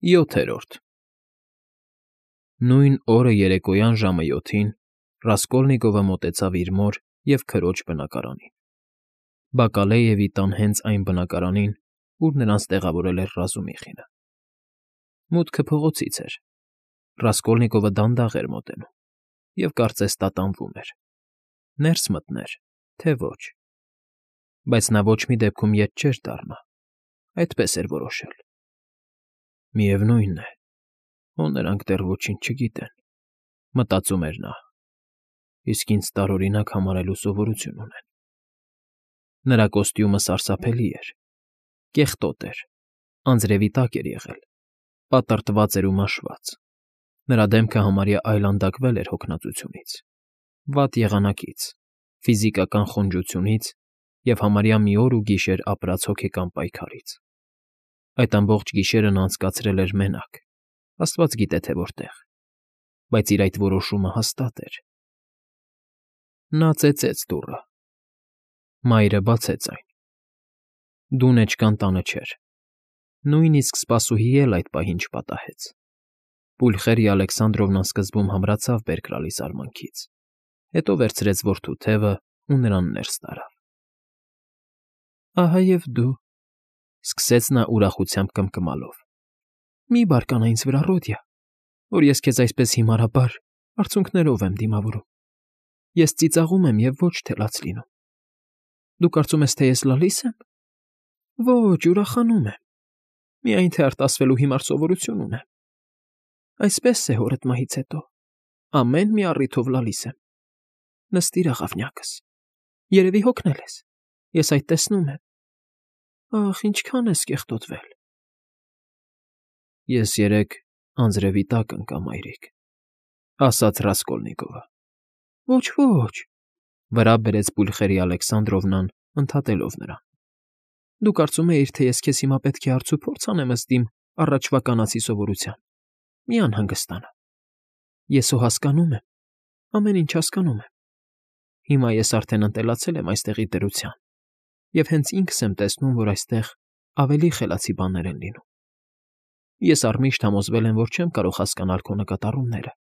7-րդ Նույն օրը երեկոյան ժամը 7-ին Ռասկոլնիկովը մոտեցավ իր մոր և քրոջ բնակարանին, Բակալեևի տան հենց այն բնակարանին, ուր նրանց տեղավորել էր Ռազումիխինը։ Մուտքը փողոցից էր, Ռասկոլնիկովը դանդաղ էր մոտենում և կարծես տատանվում էր՝ ներս մտներ, թե ոչ, բայց նա ոչ մի դեպքում ետ չէր դառնա, այդպես էր որոշել։ Միևնույն է, հո նրանք դեռ ոչինչ չգիտեն, մտածում էր նա, իսկ ինձ տարօրինակ համարելու սովորություն ունեն։ Նրա կոստյումը սարսափելի էր, կեղտոտ էր, անձրևի տակ էր եղել, պատռտված էր ու մաշված, նրա դեմքը համարյա այլանդակվել էր հոգնածությունից, վատ եղանակից, ֆիզիկական խոնջությունից և համարյա մի օր ու գիշեր ապրած հոգեկան պայքարից։ Այդ ամբողջ գիշերը նա անցկացրել էր մենակ, աստված գիտե թե որտեղ, բայց իր այդ որոշումը հաստատ էր։ Նա ծեծեց դուռը։ Մայրը բացեց այն։ Դունեչկան տանը չէր։ Նույնիսկ սպասուհի էլ այդ պահին չպատահեց։ Պուլխերիա Ալեքսանդրովնան սկզբում համրացավ բերկրալի զարմանքից, հետո վերցրեց որդու թևն ու նրան ներս տարավ։ Ահա և դու, սկսեց նա ուրախությամբ կմկմալով, մի բարկանա ինձ վրա, Ռոդիա, որ ես քեզ այսպես հիմարաբար արցունքներով եմ դիմավորում։ Ես ծիծաղում եմ և ոչ թե լաց լինում։ Դու կարծում ես, թե ես լալիս եմ։ Ոչ, ուրախանում եմ, միայն թե արտասվելու հիմար սովորություն ունեմ։ Այսպես է հորդ մահից հետո, ամեն մի առիթով լալիս եմ։ Նստիր, աղավնյակս, երևի հոգնել ես, ես այդ տեսնում եմ։ Ախ, ինչքան ես կեղտոտվել։ Ես երեկ անձրևի տակ ընկա, մայրիկ, ասաց Ռասկոլնիկովը։ Ոչ, վրա բերեց Պուլխերիա Ալեքսանդրովնան, ընդհատելով նրան։ Դու կարծում էիր, թե ես քեզ հիմա պետք է հարց ու փորձ անեմ ըստ իմ առաջվա կանացի սովորության։ Մի անհանգստանա։ Ես հո հասկանում եմ, ամեն ինչ հասկանում եմ։ Հիմա ես արդեն ընտելացել եմ այստեղի դրության և հենց ինքս եմ տեսնում, որ այստեղ ավելի խելացի բաներ են լինում։ Ես առմիշտ համոզվել եմ, որ չեմ կարող հասկանալ քո նկատառումները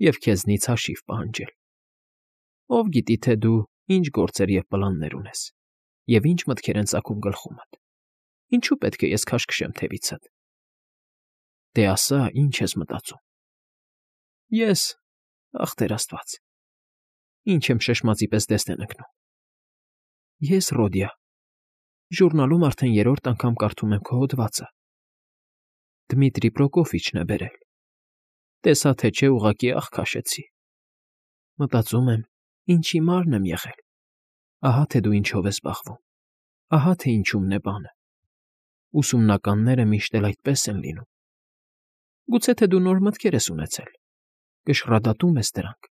և քեզնից հաշիվ պահանջել։ Ով գիտի, թե դու ինչ գործեր և պլաններ ունես, և ինչ մտքեր են ծագում գլխումդ։ Ինչու պետք է ես քաշքշեմ թևիցդ։ Դե ասա, ինչ ես մտածում։ Ես, ախ Տեր Աստված, ինչ եմ շշմածի պես դեսնեն ընկնում։ Ես, Ռոդիա, ժուրնալում արդեն 3-րդ անգամ կարդում եմ քո հոդվածը։ Դմիտրի Պրոկոֆիչն է բերել։ Տեսա թե չէ, ուղղակի աղ քաշեցի։ Մտածում եմ, ինչ հիմարն եմ եղել։ Ահա թե դու ինչով ես զբաղվում։ Ահա թե ինչումն է բանը։ Ուսումնականները միշտ էլ այդպես են լինում։ Գուցե թե դու նոր մտքեր ես ունեցել, կշռադատում ես դրանք։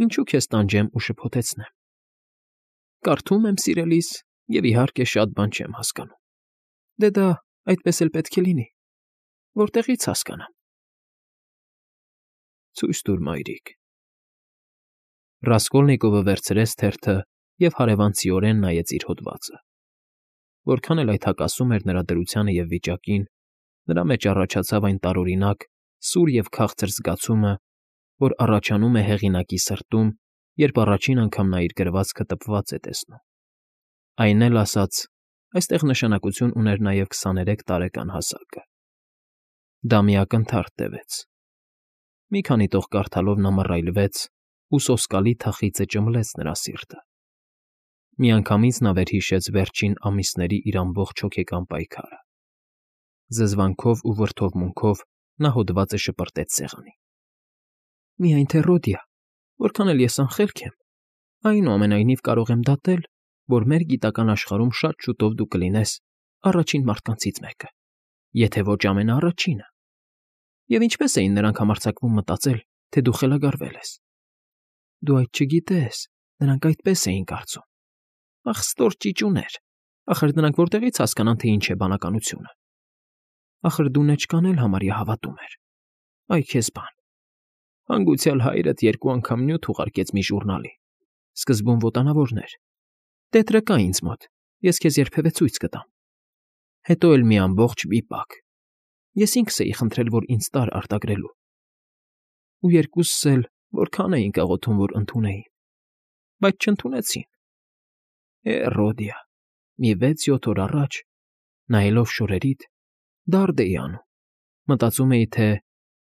Ինչու քեզ տանջեմ ու շփոթեցնեմ։ Կարդում եմ, սիրելիս, և իհարկե շատ բան չեմ հասկանում։ Դե դա այդպես էլ պետք է լինի։ Որտեղի՞ց հասկանամ։ Ցույց տուր, մայրիկ։ Ռասկոլնիկովը վերցրեց թերթը և հարևանցիորեն նայեց իր հոդվածը։ Որքան էլ այդ հակասում էր նրա դրությանը և վիճակին, նրա մեջ առաջացավ այն տարօրինակ, սուր և քաղցր զգացումը, որ առաջանում է հեղինակի սրտում, երբ առաջին անգամ նա իր գրվածքը տպված է տեսնում։ Այն էլ ասած, այստեղ նշանակություն ուներ նաև 23 տարեկան հասակը։ Դա մի ակնթարթ տևեց։ Մի քանի տող կարդալով նա մռայլվեց, ու սոսկալի թախիծը ճմլեց նրա սիրտը։ Միանգամից նա վերհիշեց վերջին ամիսների իր ամբողջ հոգեկան պայքարը։ Զզվանքով ու վրդովմունքով նա հոդվածը շպրտեց սեղանին։ Միայն թե, Ռոդիա, որքան էլ ես անխելք եմ, այնուամենայնիվ կարող եմ դատել, որ մեր գիտական աշխարհում շատ շուտով դու կլինես առաջին մարդկանցից մեկը, եթե ոչ ամենաառաջինը։ Եվ ինչպես էին նրանք համարձակվում մտածել, թե դու խելագարվել ես։ Դու այդ չգիտես, նրանք այդպես էին կարծում։ Ախ, ստոր ճիճուներ, ախր նրանք որտեղից հասկանան, թե ինչ է բանականությունը։ Ախր դունեչկան էլ համարյա հավատում էր։ Այ քեզ բան։ Հանգուցյալ հայրդ 2 անգամ նյութ ուղարկեց մի ժուրնալի, սկզբում ոտանավորներ։ Տետրը կա ինձ մոտ, ես քեզ երբևէ ցույց կտամ։ Հետո էլ մի ամբողջ վիպակ։ Ես ինքս էի խնդրել, որ ինձ տար արտագրելու։ Ու երկուսս էլ որքան էինք աղոթում, որ ընդունեին, բայց չընդունեցին։ Ռոդիա, մի 6-7 օր առաջ, նայելով շորերիդ, դարդ էի անում, մտածում էի, թե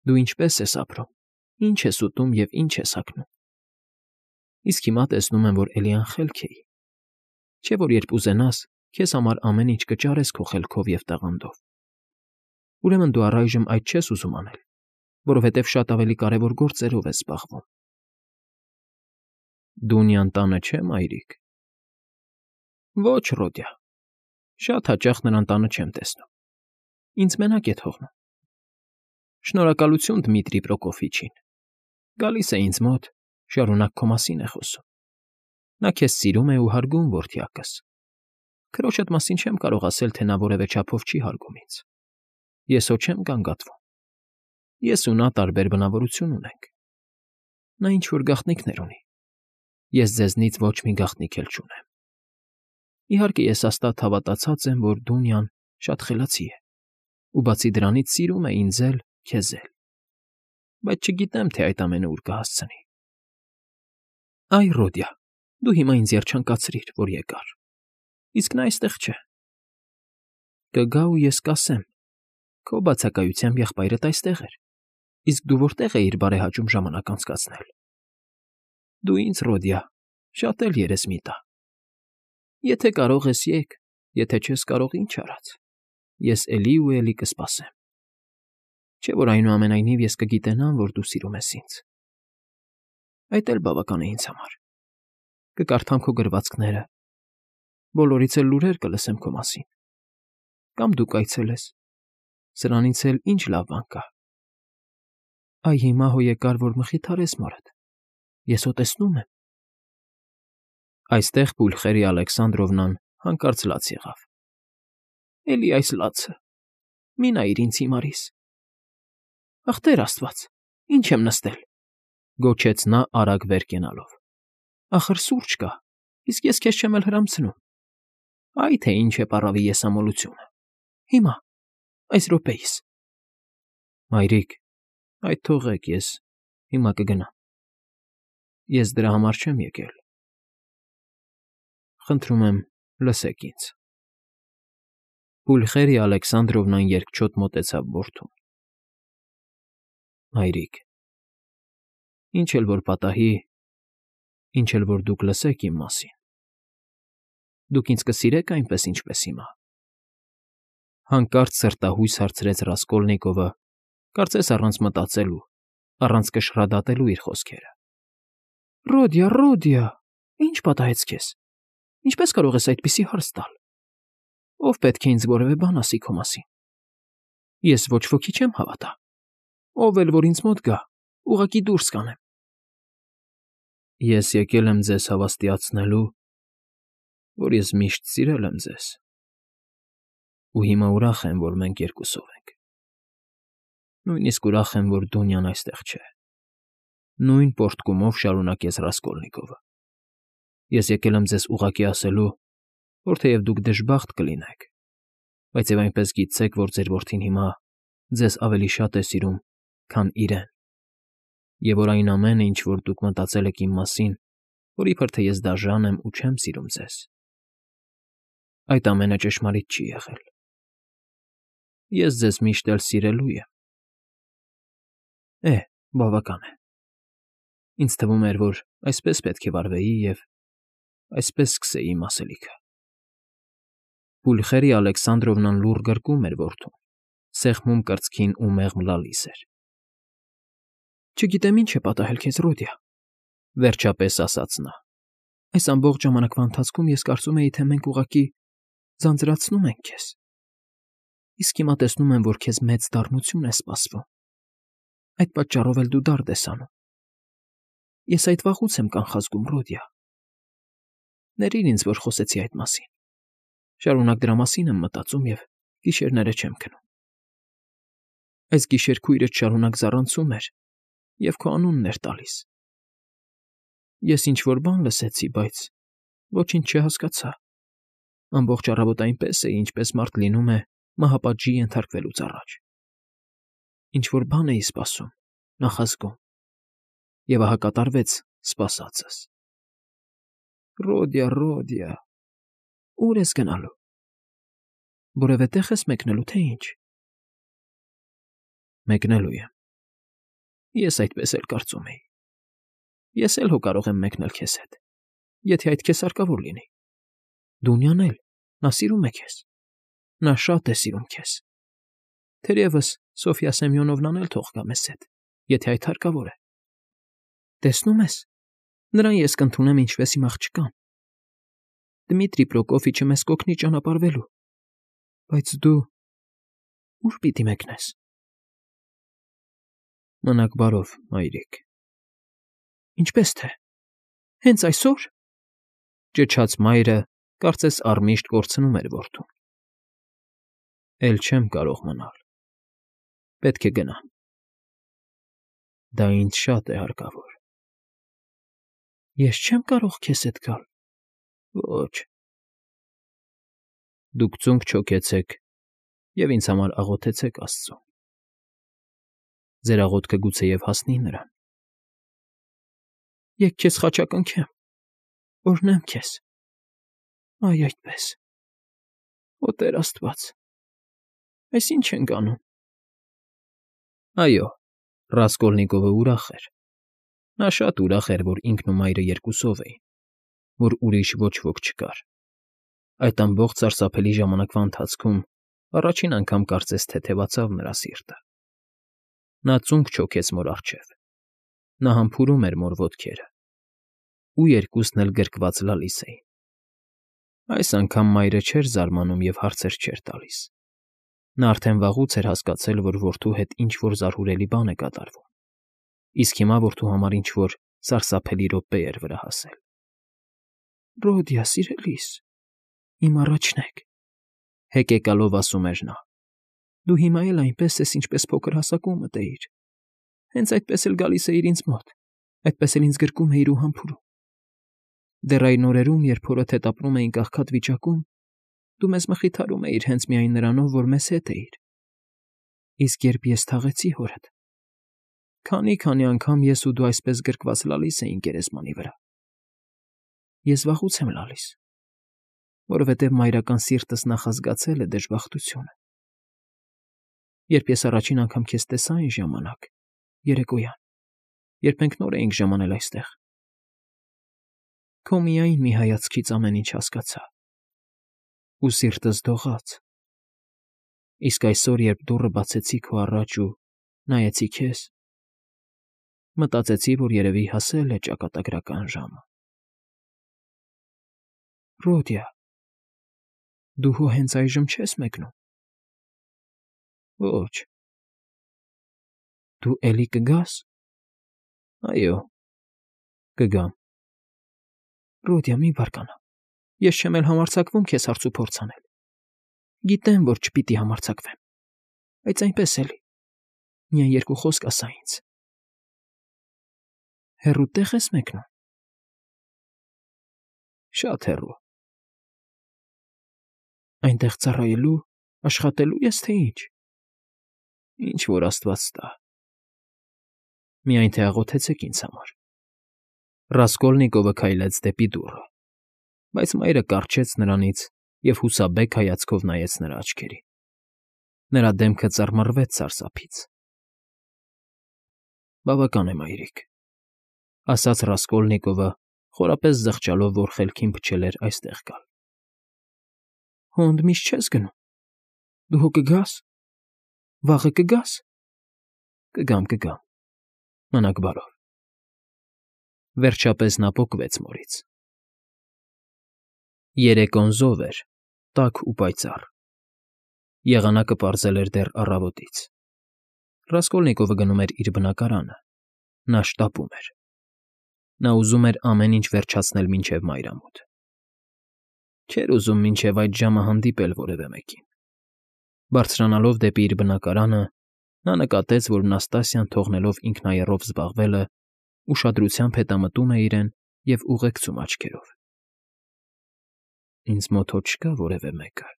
դու ինչպես ես ապրում, ինչ ես ուտում և ինչ ես հագնում։ Իսկ հիմա տեսնում եմ, որ էլի անխելք էի։ Չէ՞ որ երբ ուզենաս, քեզ համար ամեն ինչ կճարես քո խելքով և տաղանդով։ Ուրեմն դու առայժմ այդ չես ուզում անել, որովհետև շատ ավելի կարևոր գործերով ես զբաղվում։ Դունյան տանը չէ՞, մայրիկ։ Ոչ, Ռոդիա, շատ հաճախ նրան տանը չեմ տեսնում։ Ինձ մենակ է թողնում։ Շնորհակալություն Դմիտրի Պրոկոֆիչին։ Գալիս է ինձ մոտ, շարունակ քո մասին է խոսում։ Նա քեզ սիրում է ու հարգում, որդյակս։ Քրոջդ մասին չեմ կարող ասել, թե նա որևէ չափով չի հարգում ինձ։ Ես հո չեմ գանգատվում։ Ես ու նա տարբեր բնավորություն ունենք։ Նա ինչ-որ գաղտնիքներ ունի։ Ես ձեզնից ոչ մի գաղտնիք էլ չունեմ։ Իհարկե, ես հաստատ հավատացած եմ, որ Դունյան շատ խելացի է, ու բացի դրանից սիրում է ինձ էլ, քեզ էլ։ Բայց չգիտեմ, թե այդ ամենը ուր կհասցնի։ Այ, Ռոդիա, դու հիմա ինձ երջանկացրիր, որ եկար։ Իսկ նա այստեղ չէ։ Կգա ու ես կասեմ. քո բացակայությամբ եղբայրդ այստեղ էր, իսկ դու որտեղ էիր բարեհաճում ժամանակ անցկացնել։ Դու ինձ, Ռոդիա, շատ էլ երես մի տա։ Եթե կարող ես եկ, եթե չես կարող ինչ արած, ես էլի ու էլի կսպասեմ։ Չէ՞ որ այնուամենայնիվ ես կգիտենամ, որ դու սիրում ես ինձ։ Այդ էլ բավական է ինձ համար։ Կկարդամ քո գրվածքները, բոլորից էլ լուրեր կլսեմ քո մասին։ Կամ դու կայցելես, սրանից էլ ինչ լավ բան կա։ Այ հիմա հո եկար, որ մխիթարես մորդ։ Ես հո տեսնում եմ։ Այստեղ Պուլխերի Ալեքսանդրովնան հանկարծ լաց եղավ։ Էլի այս լացը։ Մի նայիր ինձ հիմարիս։ Ախ, Տեր Աստված, ինչ եմ նստել, գոչեց նա արագ վեր կենալով։ Ախր սուրճ կա, իսկ ես քեզ չեմ էլ հրամցնում։ Այ թե ինչ է պառավի եսամոլությունը։ Հիմա, այս րոպեիս։ Մայրիկ, այդ թողեք, ես հիմա կգնամ։ Ես դրա համար չեմ եկել։ Խնդրում եմ, լսեք ինձ։ Պուլխերի Ալեքսանդրովնան երկչոտ մոտեցավ որդուն։ Մայրիկ, ինչ էլ որ պատահի, ինչ էլ որ դուք լսեք իմ մասին, դուք ինձ կսիրեք այնպես, ինչպես հիմա։ Հանկարծ սրտահույս հարցրեց Ռասկոլնիկովը, կարծես առանց մտածելու, առանց կշռադատելու իր խոսքերը։ Ռոդիա, Ռոդիա, ինչ պատահեց քեզ։ Ինչպես կարող ես այդպիսի հարց տալ։ Ով պետք է ինձ որևէ բան ասի քո մասին։ Ես ոչ ոքի չեմ հավատա։ Ով էլ որ ինձ մոտ գա, ուղղակի դուրս կանեմ։ Ես եկել եմ ձեզ հավաստիացնելու, որ ես միշտ սիրել եմ ձեզ։ Ու հիմա ուրախ եմ, որ մենք երկուսով ենք։ Նույնիսկ ուրախ եմ, որ Դունյան այստեղ չէ։ Նույն պոռթկումով շարունակեց Ռասկոլնիկովը։ Ես եկել եմ ձեզ ուղղակի ասելու, որ թեև դուք դժբախտ կլինեք, բայց եւ այնպես գիտեք, որ ձեր որդին հիմա ձեզ ավելի շատ է սիրում, քան իրեն, եւ որ այն ամենը, ինչ որ դուք մտածել եք իմ մասին, որ իբր թե ես դաժան եմ ու չեմ սիրում ձեզ, այդ ամենը ճշմարիտ չի եղել։ Ես ձեզ միշտ էլ սիրելու եմ։ Բավական է։ Ինձ թվում էր, որ այսպես պետք է վարվեի և այսպես սկսեի իմ ասելիքը։ Պուլխերի Ալեքսանդրովնան լուռ գրկում էր որդուն, սեղմում կրծքին ու մեղմ լալիս էր։ Չգիտեմ ինչ է պատահել քեզ, Ռոդիա, վերջապես ասաց նա։ Այս ամբողջ ժամանակվա ընթացքում ես կարծում էի, թե մենք ուղղակի ձանձրացնում ենք քեզ։ Իսկ հիմա տեսնում եմ, որ քեզ մեծ դառնություն է սպասվում։ Այդ պատճառով էլ դու դարդ ես անում։ Ես այդ վաղուց եմ կանխազգում, Ռոդիա։ Ներիր ինձ, որ խոսեցի այդ մասին։ Շարունակ դրա մասին եմ մտածում և գիշերները չեմ քնում։ Այս գիշեր քույրդ շարունակ զառանցում էր և քո անունն էր տալիս։ Ես ինչ-որ բան լսեցի, բայց ոչինչ չհասկացա։ Ամբողջ առավոտ այնպես էի, ինչպես մարդ լինում է մահապատժի ենթարկվելուց առաջ։ Ինչ-որ բան էի սպասում, նախազգում, և ահա կատարվեց սպասածս։ Ռոդիա, Ռոդիա, ո՞ւր ես գնալու։ Որևէ տեղ ես մեկնելու, թե ինչ։ Մեկնելու եմ։ Ես այդպես էլ կարծում էի։ Ես էլ հո կարող եմ մեկնել քեզ հետ, եթե այդ քեզ հարկավոր լինի։ Դունյան էլ, նա սիրում է քեզ։ Նա շատ է սիրում քեզ։ Թերևս Սոֆյա Սեմյոնովնան էլ թող գա մեզ հետ, եթե այդ հարկավոր է։ Տեսնում ես, նրան ես կընդունեմ ինչպես իմ աղջկան։ Դմիտրի Պրոկոֆիչը մեզ կօգնի ճանապարհվելու։ Բայց դու ո՞ւր պիտի մեկնես։ Մնաք բարով, մայրիկ։ Ինչպես թե։ Հենց այսօր։ Ճչաց մայրը, կարծես առմիշտ կորցնում էր որդուն։ Էլ չեմ կարող մնալ։ Պետք է գնամ։ Դա ինձ շատ է հարկավոր։ Ես չեմ կարող քեզ հետ գալ։ Ոչ։ Դուք ծունկ չոքեցեք և ինձ համար աղոթեցեք Աստծուն։ Ձեր աղոթքը գուցեև հասնի նրան։ Եկ քեզ խաչակնքեմ, օրհնեմ քեզ։ Այ այդպես։ Օ Տեր Աստված, այս ինչ ենք անում։ Այո, Ռասկոլնիկովը ուրախ էր։ Նա շատ ուրախ էր, որ ինքն ու մայրը երկուսով էին, որ ուրիշ ոչ ոք չկար։ Այդ ամբողջ սարսափելի ժամանակվա ընթացքում առաջին անգամ կարծես թեթևացավ նրա սիրտը։ Նա ծունկ չոքեց մոր առջև։ Նա համբուրում էր մոր ոտքերը։ Ու երկուսն էլ գրկված լալիս էին։ Այս անգամ մայրը չէր զարմանում և հարցեր չէր տալիս։ Նա արդեն վաղուց էր հասկացել, որ որդու հետ ինչ֊որ զարհուրելի բան է կատարվում, իսկ հիմա որդու համար ինչ֊որ սարսափելի րոպե էր վրա հասել։ Ռոդիա, սիրելիս, իմ առաջնեկ, հեկեկալով ասում էր նա։ Դու հիմա էլ այնպես ես, ինչպես փոքր հասակումդ էիր։ Հենց այդպես էլ գալիս էիր ինձ մոտ, այդպես էլ ինձ գրկում էիր ու համբուրում։ Դեռ այն օրերում, երբ հորդ հետ ապրում էինք աղքատ վիճակում, դու մեզ մխիթարում էիր հենց միայն նրանով, որ մեզ հետ էիր։ Իսկ երբ ես թաղեցի հորդ, քանի անգամ ես ու դու այսպես գրկված լալիս էինք գերեզմանի վրա։ Ես վաղուց եմ լալիս, որովհետև մայրական սիրտս նախազգացել է դժբախտությունը։ Երբ ես առաջին անգամ քեզ տեսա այն ժամանակ, երեկոյան, երբ մենք նոր էինք ժամանել այստեղ, քո միայն մի հայացքից ամեն ինչ հասկացա։ Ու սիրտս դողաց։ Իսկ այսօր, երբ դուռը բացեցի քո առաջ ու նայեցի քեզ, մտածեցի, որ երևի հասել է ճակատագրական ժամը։ Ռոդիա, դու հո հենց այժմ չես մեկնում։ Ոչ։ Դու էլի կգա՞ս։ Այո, կգամ։ Ռոդիա, մի բարկանա։ Ես չեմ էլ համարձակվում քեզ հարց ու փորձ անել։ Գիտեմ, որ չպիտի համարձակվեմ, բայց այնպես էլի։ Միայն երկու խոսք ասա ինձ։ Հեռու տեղ ես մեկնում։ Շատ հեռու։ Այնտեղ ծառայելու, աշխատելու ես, թե ինչ։ Ինչ որ Աստված տա։ Միայն թե աղոթեցեք ինձ համար։ Ռասկոլնիկովը քայլեց դեպի դուռը, բայց մայրը կառչեց նրանից և հուսաբեկ հայացքով նայեց նրա աչքերին։ Նրա դեմքը ծռմռվեց սարսափից։ Բավական է, մայրիկ, ասաց Ռասկոլնիկովը, խորապես զղջալով, որ խելքին փչել էր այստեղ գալ։ Հո ընդմիշտ չես գնում։ Դու հո կգաս։ Վաղը կգաս։ Կգամ։ Մնաք բարով։ Վերջապես նա պոկվեց մորից։ Երեկոն զով էր, տաք ու պայծառ։ Եղանակը պարզել էր դեռ առավոտից։ Ռասկոլնիկովը գնում էր իր բնակարանը։ Նա շտապում էր։ Նա ուզում էր ամեն ինչ վերջացնել մինչև մայրամուտ։ Չէր ուզում մինչև այդ ժամը հանդիպել որևէ մեկին։ Բարձրանալով դեպի իր բնակարանը, նա նկատեց, որ Նաստասիան, թողնելով ինքնայեռով զբաղվելը, ուշադրությամբ հետամտում է իրեն և ուղեկցում աչքերով։ Ինձ մոտ հո չկա որևէ մեկը,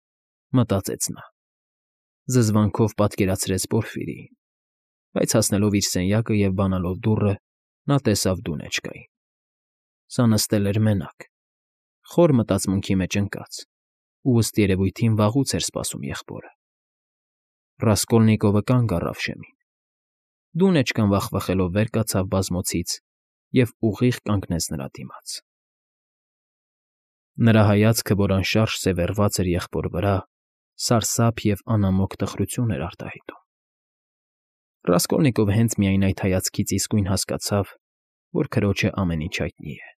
մտածեց նա։ Զզվանքով պատկերացրեց Պորֆիրիին։ Բայց հասնելով իր սենյակը եւ բանալով դուռը, նա տեսավ Դունեչկային։ Սա նստել էր մենակ, խոր մտածմունքի մեջ ընկած, ու ըստ երևույթին վաղուց էր սպասում եղբորը։ Ռասկոլնիկովը կանգ առավ շեմին։ Դունեչկան վախվխելով վեր կացավ բազմոցից և ուղիղ կանգնեց նրա դիմաց։ Նրա հայացքը, որ անշարժ սևեռված էր եղբոր վրա, սարսափ և անամոք տխրություն էր արտահայտում։ Ռասկոլնիկովը հենց միայն այդ հայացքից իսկույն հասկացավ, որ քրոջը ամեն ինչ հայտնի է։